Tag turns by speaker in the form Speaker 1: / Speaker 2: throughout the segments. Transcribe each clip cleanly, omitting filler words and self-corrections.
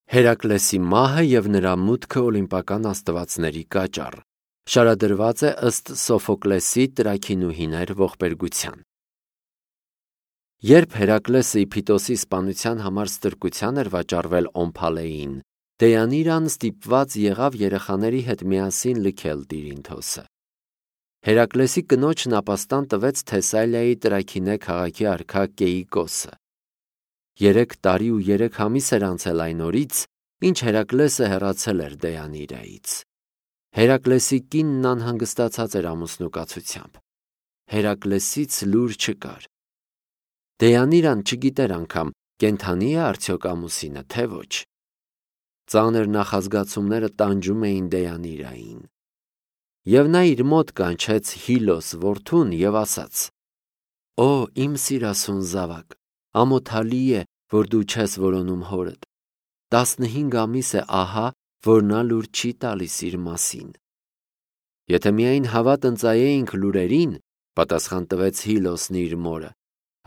Speaker 1: Հերակլեսի մահը և նրա մուտքը օլիմպական աստվածների կաճառ շարադրված է ըստ Սոֆոկլեսի Տրաքինուհիներ ողբերգության։ Երբ Հերակլեսը Իփիտոսի սպանության համար ստրկության էր վաճառվել Օմփալեին, Դեյանիրան ստիպված եղավ երեխաների հետ միասին լքել Տիրինթոսը։ Հերակլեսի կնոջն ապաստան տվեց Թեսալիայի Տրաքինե քաղաքի արքա Կեիկոսը։ 3 տարի ու 3 ամիս էր անցել այն օրից, ինչ Հերակլեսը հեռացել էր Դեյանիրայից։ Հերակլեսի կինն անհանգստացած էր ամուսնուկացությամբ։ Հերակլեսից լուր չկար։ Դեյանիրան չգիտեր անգամ կենդանի է արդյոք ամուսինը, թե ոչ։ Ծանր նախազգացումները տանջում էին Դեյանիրային։ Եվ նա իր մոտ կանչեց Հիլոս որդուն և ասաց. «Օ, իմ սիրասուն զավակ, ամոթալի է, որ դու չես որոնում հորդ։ 15 ամիս է ահա, որ նա լուր չի տալիս իր մասին»։ Եթե միայն հավատ ընծայեինք լուրերին, պատասխան տվեց Հիլոսն իր մորը,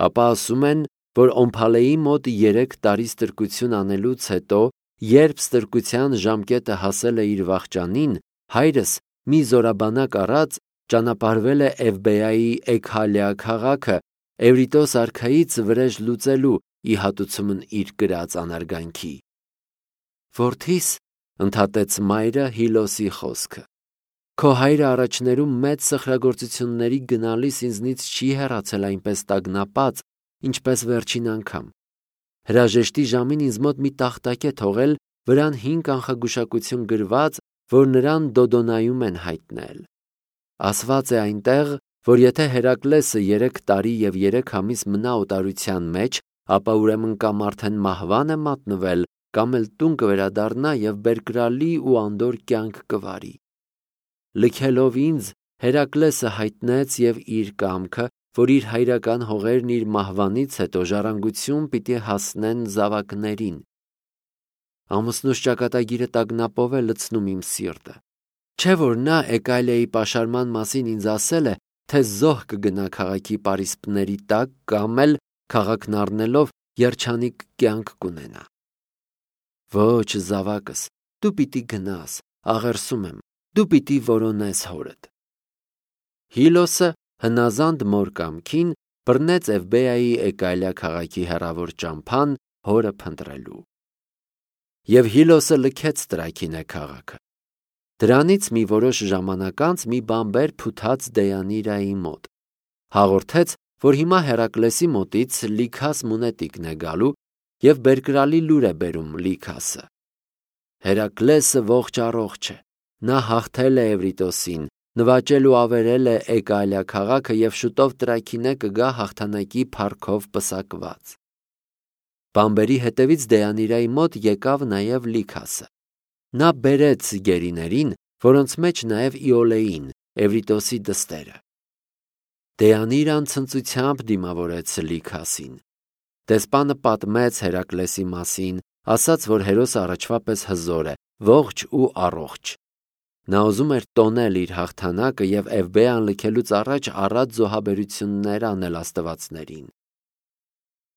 Speaker 1: ապա ասում են, որ Օմփալեի մոտ 3 տարի ստրկություն անելուց հետո, երբ ստրկության ժամկետը հասել է իր վախճանին, հայրս մի զորաբանակ առած ճանապարհվել է Էվբեայի Էքհալիա քաղաքը Էվրիտոս արքայից վրեժ լուծելու ի հատուցումն իր կրած անարգանքի։ Որդիս, ընդհատեց մայրը Հիլոսի խոսքը, քո հայրը առաջներում մեծ սխրագործությունների գնալիս ինձնից չի հեռացել այնպես տագնապած, ինչպես վերջին անգամ։ Հրաժեշտի ժամին ինձ մոտ մի տախտակ է թողել, վրան 5 կանխագուշակություն գրված, որ նրան Դոդոնայում են հայտնել։ Ասված է այնտեղ, որ եթե Հերակլեսը 3 տարի և 3 ամիս մնա օտարության մեջ, ապա ուրեմն կամ արդեն մահվան է մատնվել, կամ էլ տուն կվերադառնա և բերկրալի ու անդոր կյանք կվարի։ Լքելով ինձ, Հերակլեսը հայտնեց և իր կամքը, որ իր հայրական հողերն իր մահվանից հետո ժառանգություն պիտի հասնեն զավակներին։ Ամուսնուս ճակատագիրը տագնապով է լցնում իմ սիրտը։ Չէ՞ որ նա Էկայլիայի պաշարման մասին ինձ ասել է, թե զոհ կգնա քաղաքի պարիսպների տակ կամ էլ քաղաքն առնելով երջանիկ կյանք կունենա։ Ոչ, զավակս, դու պիտի գնաս, աղերսում եմ, դու պիտի որոնես հորդ։ Հիլոսը հնազանդ մոր կամքին բռնեց Էվբեայի Էկայլիա քաղաքի հեռավոր ճամփան հորը փնտրելու։ Եվ Հիլոսը լքեց Տրաքինե քաղաքը։ Դրանից մի որոշ ժամանակ անց մի բանբեր փութաց Դեյանիրայի մոտ, հաղորդեց, որ հիմա Հերակլեսի մոտից Լիքաս մունետիկն է գալու և բերկրալի լուր է բերում Լիքասը։ Հերակլեսը ողջ առողջ է, նա հաղթել է Էվրիտոսին, նվաճել ու ավերել է Էկայլիա քաղաքը և շուտով Տրաքինե կգա հաղթանակի փառքով պսակված։ Բանբերի հետևից Դեյանիրայի մոտ եկավ նաև Լիքասը։ Նա բերեց գերիներին, որոնց մեջ նաև Իոլեին, Էվրիտոսի դստերը։ Դեյանիրան ցնծությամբ դիմավորեց Լիքասին։ Դեսպանը պատմեց Հերակլեսի մասին, ասաց, որ հերոսը առաջվա պես հզոր է, ողջ ու առողջ։ Նա ուզում էր տոնել իր հաղթանակը և Էվբեան լքելուց առաջ առատ զոհաբերություններ անել աստվածներին։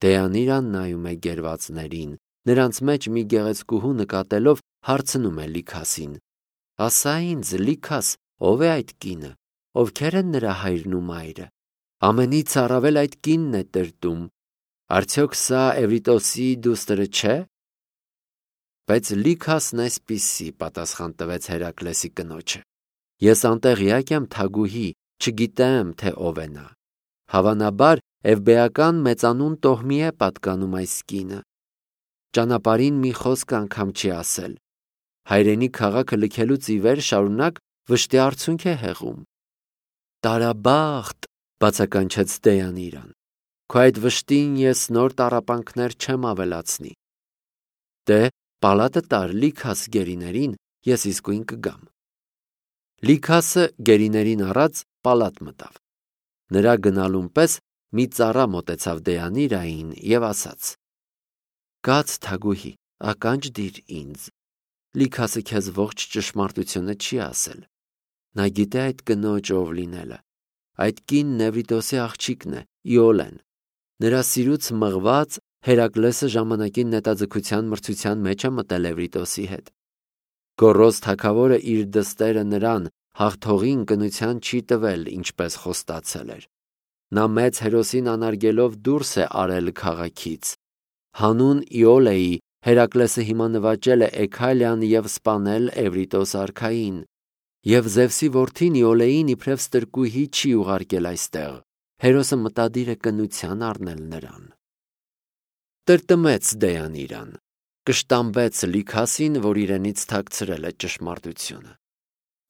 Speaker 1: Դեյանիրան նայում է գերվածներին, նրանց մեջ մի գեղեցկուհու նկատելով հարցնում է Լիքասին. «Ասա ինձ, Լիքաս, ով է այդ կինը, ովքեր են նրա հայրն ու մայրը։ Ամենից առավել այդ կինն է տրտում։ Արդյոք սա Էվրիտոսի դուստրը չէ»։ Բայց Լիքասն այսպիսի պատասխան տվեց Հերակլեսի կնոջը. «Ես անտեղյակ եմ, թագուհի, չգիտեմ, թե ով է նա։ Հավանաբար Էվբեական մեծանուն տոհմի է պատկանում այս կինը։ Ճանապարհին մի խոսք անգամ չի ասել։ Հայրենի քաղաքը լքելուց ի վեր շարունակ վշտի արցունք է հեղում»։ «Տարաբախտ», բացականչեց Դեյանիրան, «քո այդ վշտին ես նոր տառապանքներ չեմ ավելացնի։ Դե, պալատը տար Լիքաս գերիներին, ես իսկույն կգամ»։ Լիքասը գերիներին առած պալատ մտավ։ Նրա գնալուն պես մի ծառա մոտեցավ Դեյանիրային և ասաց. «Կաց, թագուհի, ականջ դիր ինձ։ Լիքասը քեզ ողջ ճշմարտությունը չի ասել։ Նա գիտե այդ կնոջ ով լինելը։ Այդ կինն Էվրիտոսի աղջիկն է, Իոլեն։ Նրա սիրուց մղված Հերակլեսը ժամանակին նետաձգության մրցության մեջ է մտել Էվրիտոսի հետ։ Գոռոզ թագավորը իր դստերը նրան հաղթողին կնության չի տվել, ինչպես խոստացել էր։ Նա մեծ հերոսին անարգելով դուրս է արել քաղաքից։ Հանուն Իոլեի Հերակլեսը հիմա նվաճել է Էքալիան և սպանել Էվրիտոս արքային, և Զևսի որդին Իոլեին իբրև ստրկուհի չի ուղարկել այստեղ, հերոսը մտադիր է կնության առնել նրան։ Տրտմեց Դեյանիրան, կշտամբեց Լիքասին, որ իրենից թաքցրել է ճշմարտությունը։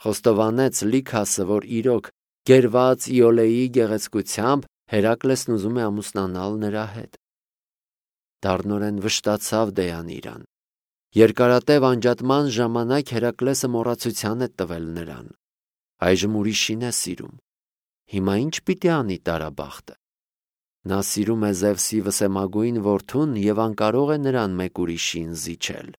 Speaker 1: Խոստովանեց Լիքասը, որ իրոք գերված Իոլեի գեղեցկությամբ Հերակլեսն ուզում է ամուսնանալ նրա հետ։ Դառնորեն վշտացավ Դեյանիրան։ Երկարատև անջատման ժամանակ Հերակլեսը մոռացության է տվել նրան։ Այժմ ուրիշին է սիրում։ Հիմա ինչ պիտի անի տարաբախտը։ Նա սիրում է Զևսի վսեմագույն որդուն և անկարող է նրան մեկ ուրիշին զիջել։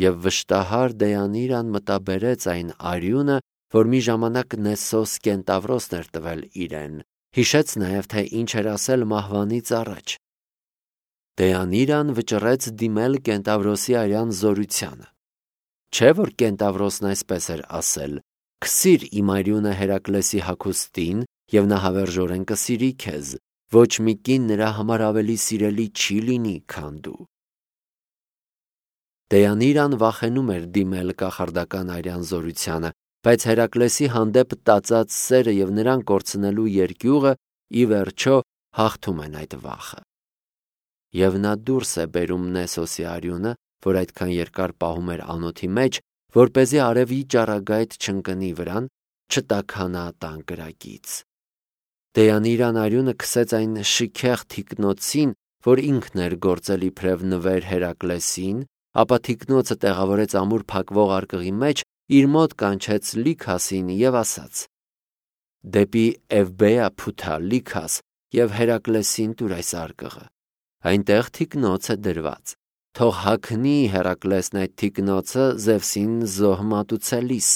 Speaker 1: Եվ վշտահար Դեյանիրան մտաբերեց այն արյունը, որ մի ժամանակ Նեսոս կենտավրոսն էր տվել իրեն, հիշեց նաև, թե ինչ էր ասել մահվանից առաջ։ Դեյանիրան վճռեց դիմել կենտավրոսի արյան զորությանը։ Չէ՞ որ կենտավրոսն այսպես էր ասել. «Քսիր իմ արյունը Հերակլեսի հագուստին, և նա հավերժորեն կսիրի քեզ, ոչ մի կին նրա համար ավելի սիրելի չի լինի, քան դու»։ Դեյանիրան վախենում էր դիմել կախարդական արյան զորությանը, բայց Հերակլեսի հանդեպ տածած սերը և նրան կորցնելու երկյուղը ի վերջո հաղթում են այդ վախը։ Եվ նա դուրս է բերում Նեսոսի արյունը, որ այդքան երկար պահում էր անոթի մեջ, որպեսզի արևի ճառագայթ չընկնի վրան, չտաքանա տան կրակից։ Դեյանիրան արյունը քսեց այն շքեղ թիկնոցին, որ ինքն էր գործել իբրև նվեր Հերակլեսին, ապա թիկնոցը տեղավորեց ամուր փակվող արկղի մեջ, իր մոտ կանչեց Լիքասին և ասաց. «Դեպի Էվբեա փութա, Լիքաս, և Հերակլեսին տուր այս արկղը։ Այնտեղ թիկնոց է դրված։ Թող հագնի Հերակլեսն այդ թիկնոցը Զևսին զոհ մատուցելիս։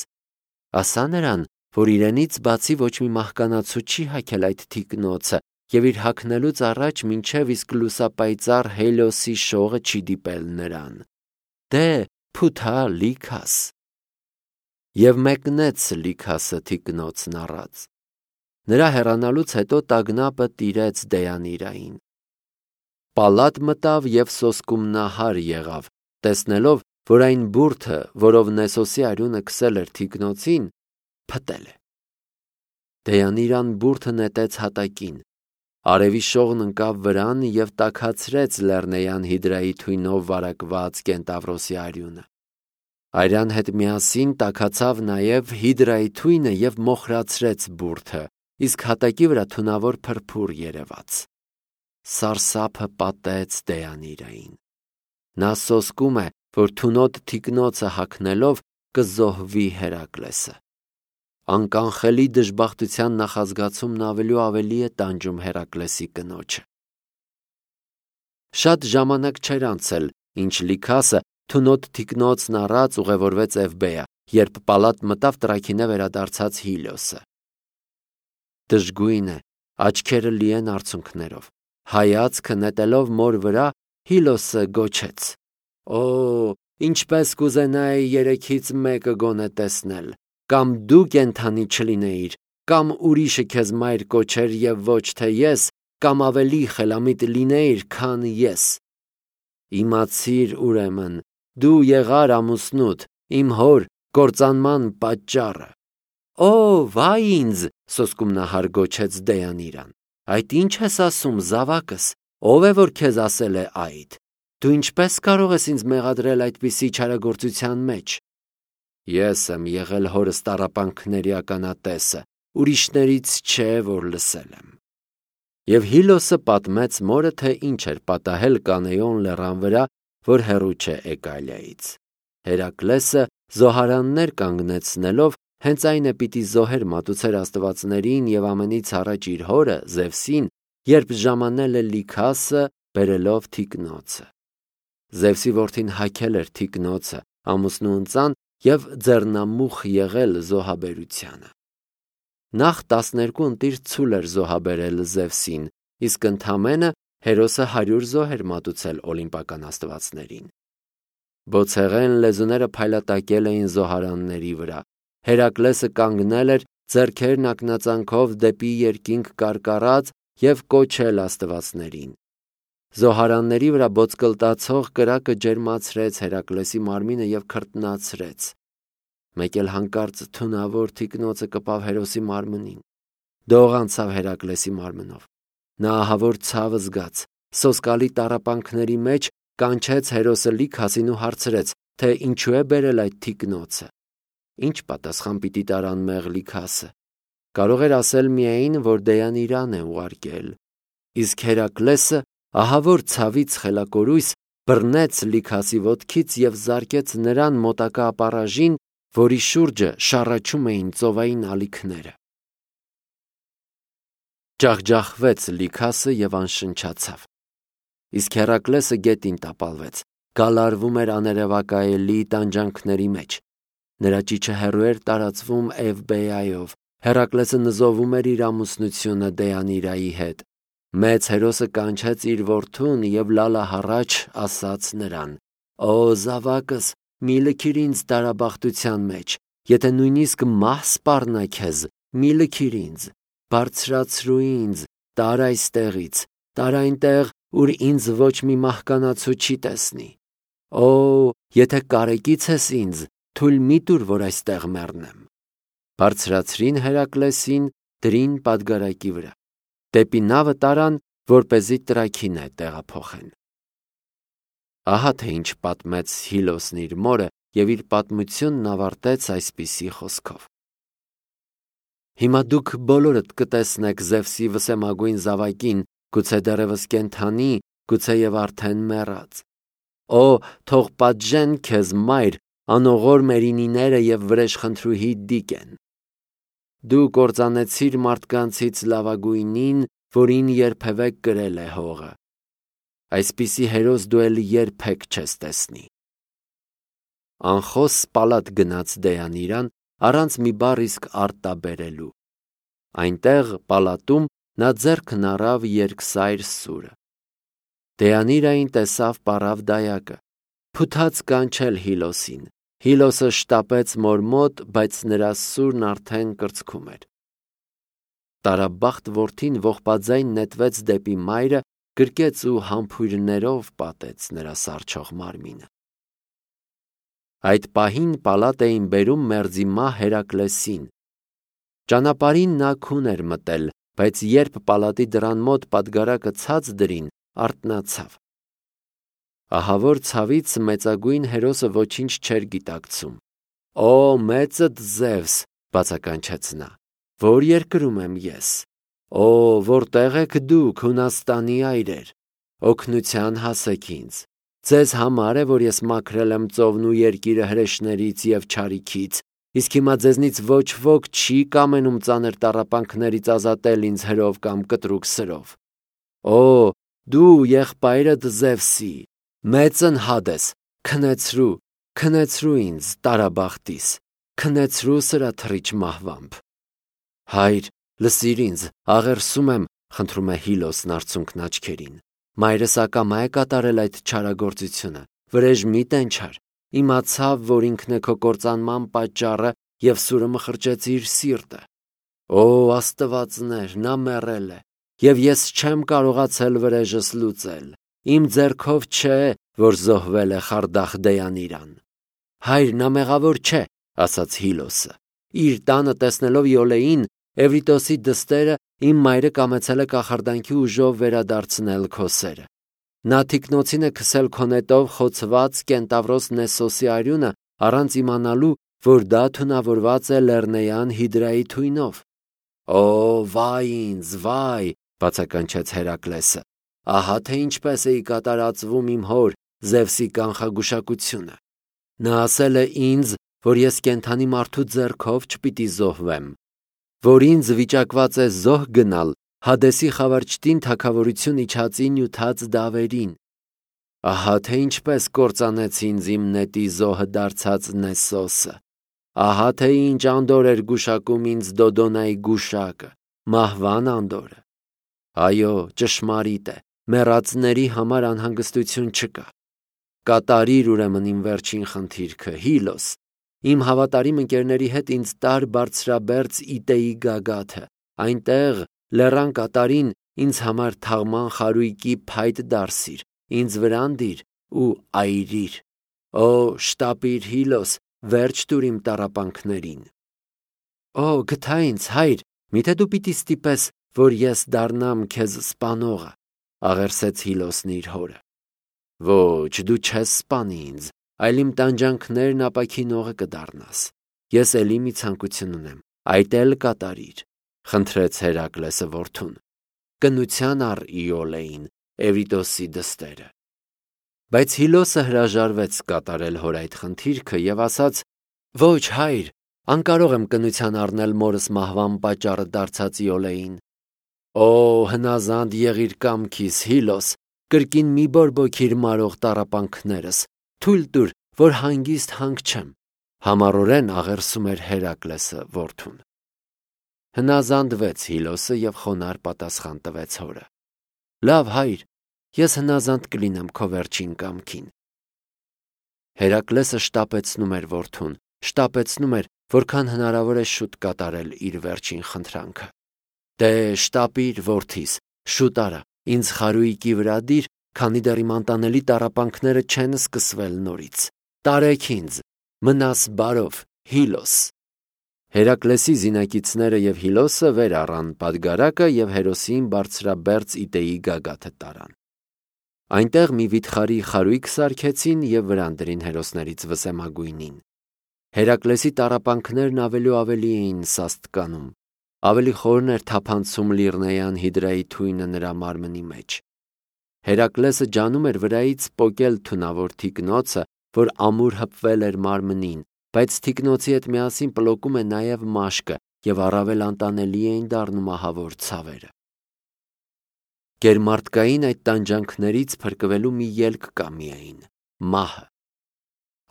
Speaker 1: Ասա նրան, որ իրենից բացի ոչ մի մահկանացու չի հագել այդ թիկնոցը և իր հագնելուց առաջ մինչև իսկ լուսապայծառ Հելիոսի շողը չի դիպել նրան։ Դե, փութա, Լիքաս»։ Եվ մեկնեց Լիքասը թիկնոցն առած։ Նրա հեռանալուց հետո տագնապը տիրեց Դեյանիրային։ Պալատ մտավ և սոսկումնահար եղավ, տեսնելով, որ այն բուրդը, որով Նեսոսի արյունը քսել էր թիկնոցին, փտել է։ Դեյանիրան բուրդը նետեց հատակին, արևի շողն ընկավ վրան և տաքացրեց լեռնեյան հիդրայի թույնով վարակված կենտավրոսի արյունը։ Արյան հետ միասին տաքացավ նաև հիդրայի թույնը և մոխրացրեց բուրդը, իսկ հատակի վրա թունավոր փրփուր երևաց։ Սարսափը պատեց Դեյանիրային։ Նա սոսկում է, որ թունոտ թիկնոցը հագնելով կզոհվի Հերակլեսը։ Անկանխելի դժբախտության նախազգացումն ավելի ու ավելի է տանջում Հերակլեսի կնոջը։ Շատ ժամանակ չէր անցել, ինչ Լիքասը թունոտ թիկնոցն առած ուղևորվեց Էվբեա, երբ պալատ մտավ տրաքինե վերադարձած Հիլիոսը։ Դժգույն է, աչքերը լի են արցունքներով։ Հայացքը նետելով մոր վրա, Հիլիոսը գոչեց. «Օ, ինչպես կուզենայի երեքից մեկը գոնե տեսնել, կամ դու կենդանի չլինեիր, կամ ուրիշը քեզ մայր կոչեր և ոչ թե ես, կամ ավելի խելամիտ լինեիր, քան ես։ Իմացիր, ուրեմն, դու եղար ամուսնուդ, իմ հոր կործանման պատճառը»։ «Օ, վայ ինձ», սոսկումնահար գոչեց Դեյանիրան, «այդ ի՞նչ ես ասում, զավակս, ով է որ քեզ ասել է այդ։ Դու ինչպես կարող ես ինձ մեղադրել այդպիսի չարագործության մեջ։ Ես եմ եղել հորս տառապանքների ականատեսը, ուրիշներից չէ, որ լսել եմ»։ Եվ Հիլիոսը պատմեց մորը, թե ինչ էր պատահել Կանեոն լեռան վրա, որ հեռու չէ Էկալիայից։ Հերակլեսը զոհարաններ կանգնեցնելով հենց այն է պիտի զոհեր մատուցեր աստվածներին և ամենից առաջ իր հորը Զևսին, երբ ժամանել է Լիքասը բերելով թիկնոցը։ Զևսի որդին հագել էր թիկնոցը, ամուսնու ընծան և ձեռնամուխ եղել զոհաբերությանը։ Նախ 12 ընտիր ցուլ էր զոհաբերել Զևսին, իսկ ընդամենը Հերոսը 100 զոհ էր մատուցել օլիմպիական աստվածներին։ Բոցեղեն լեզուները փայլատակել էին զոհարանների վրա։ Հերակլեսը կանգնել էր, ձեռքերն ակնածանքով դեպի երկինք կարկառած և կոչել աստվածներին։ Զոհարանների վրա բոցկլտացող կրակը ջերմացրեց Հերակլեսի մարմինը և քրտնացրեց։ Մեկ էլ հանկարծ թունավոր թիկնոցը կպավ հերոսի մարմնին։ Դող անցավ Հերակլեսի մարմնով։ Նա ահավոր ցավ զգաց, սոսկալի տառապանքների մեջ կանչեց հերոսը Լիքասին ու հարցրեց, թե ինչու է բերել այդ թիկնոցը։ Ինչ պատասխան պիտի տար անմեղ Լիքասը։ Կարող էր ասել միայն, որ Դեյանիրան է ուղարկել։ Իսկ Հերակլեսը ահավոր ցավից խելակորույս բռնեց Լիքասի ոտքից և զարկեց նրան մոտակա ապառաժին, որի շուրջը շառաչում էին ծովային ալիքները։ Ջախջախվեց Լիքասը և անշնչացավ։ Իսկ Հերակլեսը գետին տապալվեց, գալարվում էր աներևակայելի տանջանքների մեջ։ Նրա ճիչը հեռու էր տարածվում Էվբեայով։ Հերակլեսը նզովում էր իր ամուսնությունը Դեյանիրայի հետ։ Մեծ հերոսը կանչեց իր որդուն և լալահառաչ ասաց նրան. «Օ զավակս, մի լքիր ինձ տարաբախտության մեջ, եթե նույնիսկ մահ սպառնա քեզ, մի լքիր ինձ, բարձրացրու ինձ, տար այստեղից, տար այնտեղ, ուր ինձ ոչ մի մահկանացու չի տեսնի։ Օ, եթե կարեկից ես ինձ, թույլ մի տուր, որ այստեղ մեռնեմ»։ Բարձրացրին Հերակլեսին, դրին պատգարակի վրա։ Դեպի նավը տարան, որպեսզի տրաքինը տեղափոխեն։ Ահա թե ինչ պատմեց Հիլոսն իր մորը և իր պատմությունն ավարտեց այսպիսի խոսքով. Հիմա դուք բոլորդ կտեսնեք Զևսի վսեմագույն զավակին, գուցե դեռևս կենդանի, գուցե և արդեն մեռած։ Օ, թող պատժեն քեզ, մայր, անողոր մերինիները և վրեժխնդրուհի Դիկեն։ Դու կործանեցիր մարդկանցից լավագույնին, որին երբևէ կրել է հողը։ Այսպիսի հերոս դու էլ երբեք չես տեսնի։ Անխոս պալատ գնաց Դեյանիրան, առանց մի բառ իսկ արտաբերելու։ Այնտեղ պալատում նա ձեռքն առավ երկսայր սուրը։ Դեյանիրային տեսավ պառավ դայակը, փութաց կանչել Հիլոսին։ Հիլոսը շտապեց մոր մոտ, բայց նրա սուրն արդեն կրծքում էր։ Տարաբախտ որդին ողբաձայն նետվեց դեպի մայրը, գրկեց ու համբույրներով պատեց նրա սառչող մարմինը։ Այդ պահին պալատ էին բերում մերձի մահ Հերակլեսին։ Ճանապարհին նա քուն էր մտել, բայց երբ պալատի դռան մոտ պատգարակը ցած դրին, արթնացավ։ Ահավոր ցավից մեծագույն հերոսը ոչինչ չէր գիտակցում։ Օ, մեծդ Զևս, բացականչեց նա, որ երկրում եմ ես։ Օ, որտեղ եք դուք, Հունաստանի այրեր, օգնության հասեք ինձ։ Ձեզ համար է, որ ես մաքրել եմ ծովն ու երկիրը հրեշներից և չարիքից, իսկ հիմա ձեզնից ոչ ոք չի կամենում ծանր տառապանքներից ազատել ինձ հրով կամ կտրուկ սրով։ Օ, դու եղբայրդ Զևսի, մեծն Հադես, քնեցրու ինձ տարաբախտիս, քնեցրու սրաթռիչ մահվամբ։ Հայր, լսիր ինձ, աղերսում եմ, խնդրում է Հիլոսն արցունքն աչքերին։ Մայրս ակամա է կատարել այդ չարագործությունը, վրեժ մի տենչար, իմացավ, որ ինքն է քո կործանման պատճառը և սուրը մխրճեց իր սիրտը։ Օ, աստվածներ, նա մեռել է, և ես չեմ կարողացել վրեժս լուծել։ Իմ ձեռքով չէ, որ զոհվել է Խարդախ Դեյանիրան։ Հայր, նա մեղավոր չէ, ասաց Հիլոսը։ Իր տանը տեսնելով Իոլեին, Էվրիտոսի դստերը, իմ մայրը կամեցել է կախարդանքի ուժով վերադարձնել քո սերը։ Նա թիկնոցին է քսել քո նետով խոցված կենտավրոս Նեսոսի արյունը, առանց իմանալու, որ դա թունավորված է Լեռնեյան Հիդրայի թույնով։ Օ, վայ ինձ, վայ, բացականչեց Հերակլեսը։ Ահա թե ինչպես էի կատարածվում իմ հոր Զևսի կանխագուշակությունը։ Նա ասել է ինձ, որ ես կենդանի մարդու ձեռքով չպիտի զոհվեմ, որ ինձ վիճակված է զոհ գնալ Հադեսի խավարճտին թագավորություն իջածի նյութած դավերին։ Ահա թե ինչպես կործանեց ինձ իմ նետի զոհը դարձած Նեսոսը։ Ահա թե ինչ անդոր էր գուշակում ինձ Դոդոնայի գուշակը, մահվան անդորը։ Այո, ճշմարիտ է, Մեռածների համար անհանգստություն չկա։ Կատարիր ուրեմն իմ վերջին խնդիրքը, Հիլոս, իմ հավատարիմ ընկերների հետ ինձ տար բարձրաբերձ Իտեի գագաթը, այնտեղ լեռան կատարին ինձ համար թաղման խարույկի փայտ դարսիր, ինձ վրան դիր ու այրիր։ Օ, շտապիր, Հիլոս, վերջ տուր իմ տառապանքներին։ Օ, գթա ինձ, հայր, միթե դու պիտի ստիպես, որ ես դառնամ քեզ սպանողը, աղերսեց Հիլոսն իր հորը։ Ոչ, դու չես սպանի ինձ, այլ իմ տանջանքներն ապաքինողը կդառնաս։ Ես էլի մի ցանկություն ունեմ, այդ էլ կատարիր, խնդրեց Հերակլեսը որդուն։ Կնության առ Իոլեին, Էվրիտոսի դստերը։ Բայց Հիլոսը հրաժարվեց կատարել հոր այդ խնդիրքը եւ ասաց. Ոչ, հայր, անկարող եմ կնության առնել մորս մահվան պատճառը դարձած Իոլեին։ Օ, հնազանդ եղիր կամքիս, Հիլոս, կրկին մի բորբոքիր մարող տառապանքներս, թույլ տուր, որ հանգիստ հանգչեմ, համառորեն աղերսում էր Հերակլեսը որդուն։ Հնազանդվեց Հիլոսը եւ խոնարհ պատասխան տվեց հորը. Լավ, հայր, ես հնազանդ կլինեմ քո վերջին կամքին։ Հերակլեսը շտապեցնում էր որդուն, շտապեցնում էր, որքան հնարավոր է շուտ կատարել իր վերջին խնդրանքը։ Դե շտապիր, որդիս, շուտ արա, ինձ խարույկի վրա դիր, քանի դեռ իմ անտանելի տառապանքները չեն սկսվել նորից։ Տարեք ինձ, մնաս բարով, Հիլոս։ Հերակլեսի զինակիցները եւ Հիլոսը վեր առան պատգարակը եւ հերոսին բարձրաբերձ Իտեի գագաթը տարան։ Այնտեղ մի վիթխարի խարույկ սարքեցին եւ վրան դրին հերոսներից վսեմագույնին։ Հերակլեսի տառապանքներն ավելի ու ավելի էին սաստկանում, ավելի խորն էր թափանցում Լիրնեյան հիդրայի թույնը նրա մարմնի մեջ։ Հերակլեսը ջանում էր վրայից պոկել թունավոր թիկնոցը, որ ամուր հպվել էր մարմնին, բայց թիկնոցի հետ միասին պլոկում է նաև մաշկը եւ առավել անտանելի էին դառնում ահավոր ցավերը։ Գերմարտկային այդ տանջանքներից փրկվելու մի ելք կա միայն՝ մահը։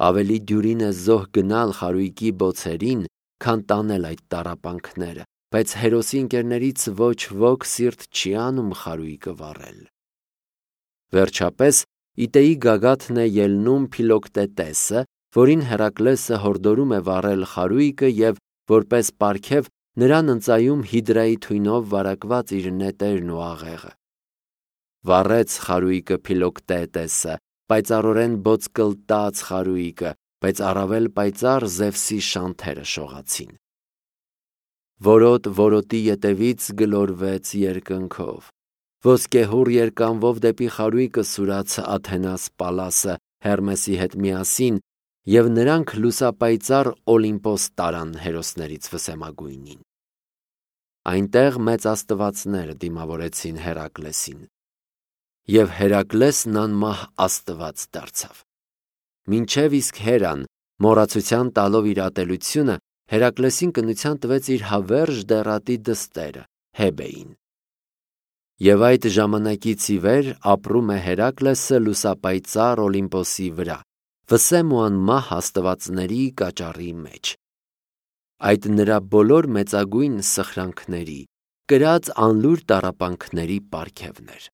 Speaker 1: Ավելի դյուրին է զոհ գնալ խարույկի բոցերին, քան տանել այդ տառապանքները, բայց հերոսի ընկերներից ոչ ոք սիրտ չի անում խարույկը վառել։ Վերջապես Իտեի գագաթն է ելնում Փիլոկտետեսը, որին Հերակլեսը հորդորում է վառել խարույկը եւ որպես պարգև նրան ընծայում հիդրայի թույնով վարակված իր նետերն ու աղեղը։ Վառեց խարույկը Փիլոկտետեսը, պայծառորեն բոցկլտած խարույկը, բայց առավել պայծառ Զևսի շանթերը շողացին։ Որոտ որոտի ետևից գլորվեց երկնքով։ Ոսկեհուռ երկանվով դեպի խարույկը սուրաց Աթենաս Պալասը Հերմեսի հետ միասին, եւ նրանք լուսապայծառ Օլիմպոս տարան հերոսներից վսեմագույնին։ Այնտեղ մեծ աստվածներ դիմավորեցին Հերակլեսին, եւ Հերակլեսն անմահ աստված դարձավ։ Մինչև իսկ Հերան, մոռացության տալով իր ատելությունը, Հերակլեսին կնության տվեց իր հավերժ դեռատի դստերը Հեբեին։ Եվ այդ ժամանակից ի վեր ապրում է Հերակլեսը լուսապայծառ Օլիմպոսի վրա, վսեմ ու անմահ աստվածների կաճառի մեջ։ Այդ նրա բոլոր մեծագույն սխրանքների, կրած անլուր տառապանքների պարգևն էր։